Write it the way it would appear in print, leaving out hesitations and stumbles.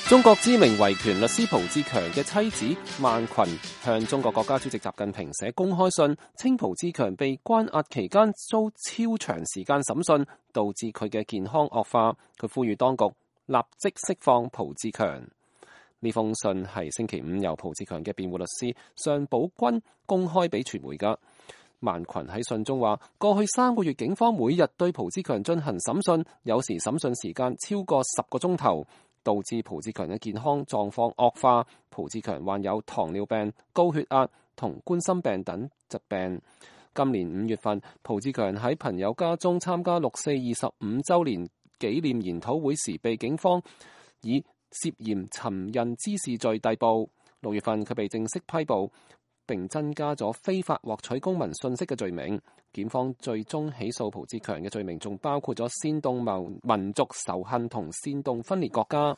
中國知名維權律師蒲志強嘅妻子萬群向中國國家主席習近平寫公開信，稱蒲志強被關押期間遭超長時間審訊，導致佢嘅健康惡化。佢呼籲當局立即釋放蒲志強。呢封信係星期五由蒲志強嘅辯護律師尚寶軍公開俾傳媒㗎。萬群喺信中話，過去3個月警方每日對蒲志強進行審訊，有時審訊時間超過10個鐘頭，導致蒲志強嘅健康狀況惡化。蒲志強患有糖尿病、高血壓同冠心病等疾病。今年5月份，蒲志強喺朋友家中參加6·4 25週年紀念研討會時，被警方以涉嫌尋釁滋事罪逮捕。6月份，佢被正式批捕，並增加咗非法獲取公民信息嘅罪名。檢方最終起訴蒲志強嘅罪名，仲包括咗煽動民族仇恨同煽動分裂國家。